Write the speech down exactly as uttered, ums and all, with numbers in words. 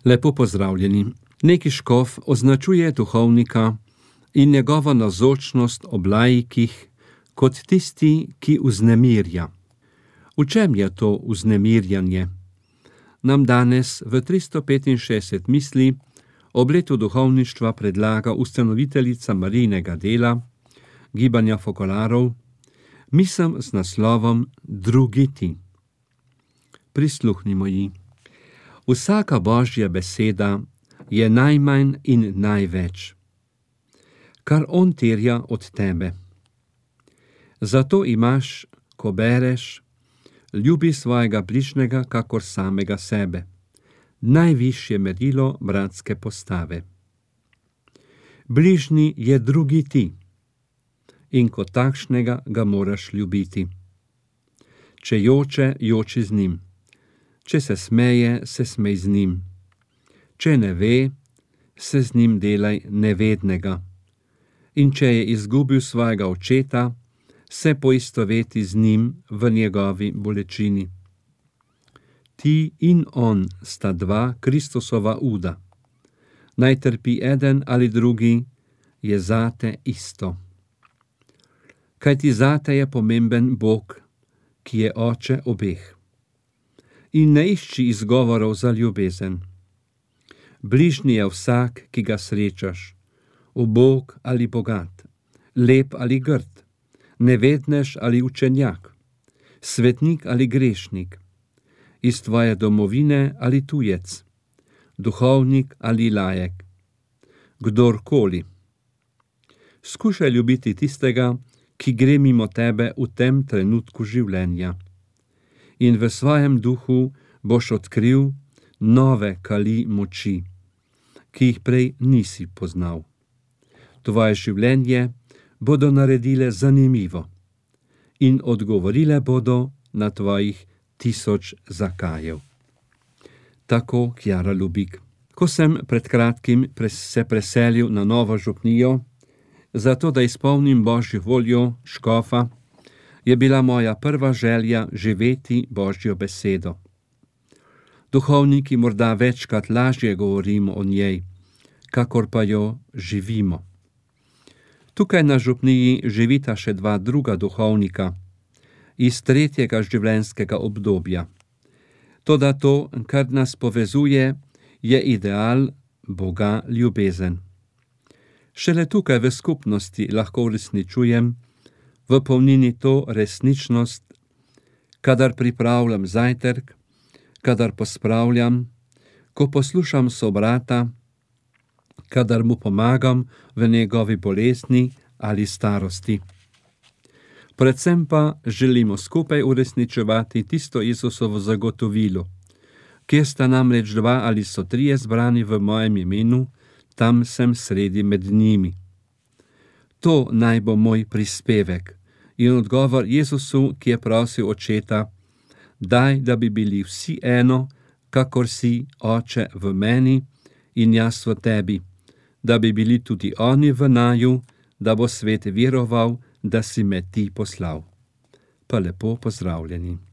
Lepo pozdravljeni. Neki škof označuje duhovnika in njegovo navzočnost ob laikih kot tisti, ki vznemirja. V čem je to vznemirjanje? Nam danes v tristo petinšestdeset misli ob letu duhovništva predlaga ustanoviteljica Marijinega dela, gibanja Fokolarov, misel z naslovom Drugi ti. Prisluhnimo ji. Vsaka Božja beseda je najmanj in največ, kar on terja od tebe. Zato imaš, ko bereš, ljubi svojega bližnjega kakor samega sebe, najvišje merilo bratske postave. Bližnji je drugi ti in kot takšnega ga moraš ljubiti. Če joče, joči z njim. Če se smeje, se smej z njim. Če ne ve, se z njim delaj nevednega. In če je izgubil svojega očeta, se poistoveti z njim v njegovi bolečini. Ti in on sta dva Kristusova uda. Naj trpi eden ali drugi, je zate isto. Kajti zate je pomemben Bog, ki je oče obeh. In ne išči izgovorov za ljubezen. Bližnji je vsak, ki ga srečaš, ubog ali bogat, lep ali grd, nevednež ali učenjak, svetnik ali grešnik, iz tvoje domovine ali tujec, duhovnik ali lajek, kdorkoli. Skušaj ljubiti tistega, ki gre mimo tebe v tem trenutku življenja. In v svojem duhu boš odkril nove kali moči, ki jih prej nisi poznal. Tvoje življenje bodo naredile zanimivo in odgovorile bodo na tvojih tisoč zakajev. Tako Kjara Lubik. Ko sem pred kratkim se preselil na novo župnijo, zato da izpolnim Božjo voljo škofa, je bila moja prva želja živeti Božjo besedo. Duhovniki morda večkrat lažje govorimo o njej, kakor pa jo živimo. Tukaj na župniji živita še dva druga duhovnika iz tretjega življenjskega obdobja. Toda to, kar nas povezuje, je ideal Boga ljubezen. Šele tukaj v skupnosti lahko uresničujem v polnini to resničnost, kadar pripravljam zajtrk, kadar pospravljam, ko poslušam sobrata, kadar mu pomagam v njegovi bolezni ali starosti. Predvsem pa želimo skupaj uresničevati tisto Jezusovo zagotovilo, kjer sta namreč dva ali so trije zbrani v mojem imenu, tam sem sredi med njimi. To naj bo moj prispevek in odgovor Jezusu, ki je prosil očeta, daj, da bi bili vsi eno, kakor si, Oče, v meni in jaz v tebi, da bi bili tudi oni v naju, da bo svet veroval, da si me ti poslal. Pa lepo pozdravljeni.